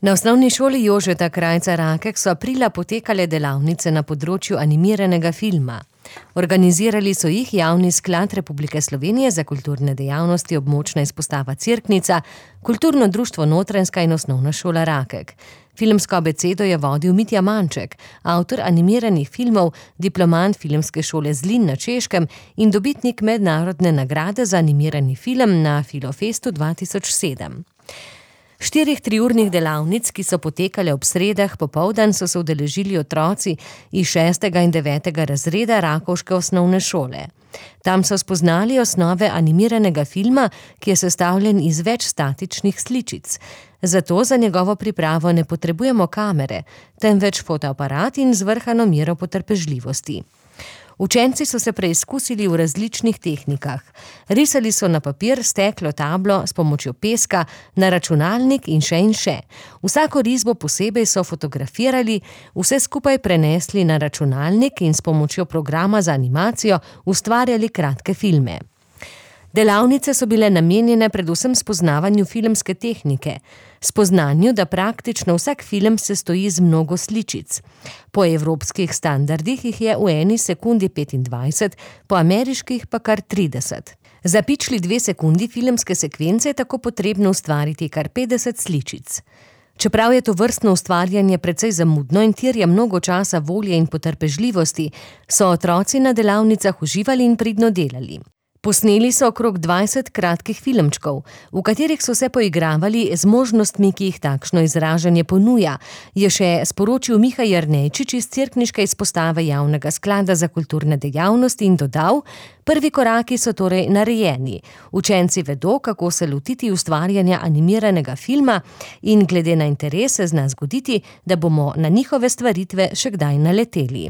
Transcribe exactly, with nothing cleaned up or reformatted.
Na osnovni šoli Jožeta Krajca Rakek so aprila potekale delavnice na področju animiranega filma. Organizirali so jih Javni sklad Republike Slovenije za kulturne dejavnosti Območna izpostava Cerknica, Kulturno društvo Notranjska in Osnovna šola Rakek. Filmsko abecedo je vodil Mitja Manček, avtor animiranih filmov, diplomant Filmske šole Zlin na Češkem in dobitnik mednarodne nagrade za animirani film na Filofestu dva tisoč sedem. Štirih triurnih delavnic, ki so potekale ob sredah popoldan, so se udeležili otroci iz šestega in devetega razreda rakovške osnovne šole. Tam so spoznali osnove animiranega filma, ki je sestavljen iz več statičnih sličic. Zato za njegovo pripravo ne potrebujemo kamere, temveč fotoaparat in zvrhano mero potrpežljivosti. Učenci so se preizkusili v različnih tehnikah. Risali so na papir, steklo, tablo, s pomočjo peska, na računalnik in še in še. Vsako risbo posebej so fotografirali, vse skupaj prenesli na računalnik in s pomočjo programa za animacijo ustvarjali kratke filme. Delavnice so bile namenjene predvsem spoznavanju filmske tehnike, spoznanju, da praktično vsak film sestoji iz mnogo sličic. Po evropskih standardih jih je v eni sekundi petindvajset, po ameriških pa kar trideset. Za pičli dve sekundi filmske sekvence je tako potrebno ustvariti kar petdeset sličic. Čeprav je to vrstno ustvarjanje precej zamudno in terja mnogo časa, volje in potrpežljivosti, so otroci na delavnicah uživali in pridno delali. Posneli so okrog dvajset kratkih filmčkov, v katerih so se poigravali z možnostmi, ki jih takšno izražanje ponuja, je še sporočil Miha Jernejčič iz cerkniške izpostave Javnega sklada za kulturne dejavnosti in dodal: prvi koraki so torej narejeni. Učenci vedo, kako se lotiti ustvarjanja animiranega filma in glede na interese zna zgoditi, da bomo na njihove stvaritve še kdaj naleteli.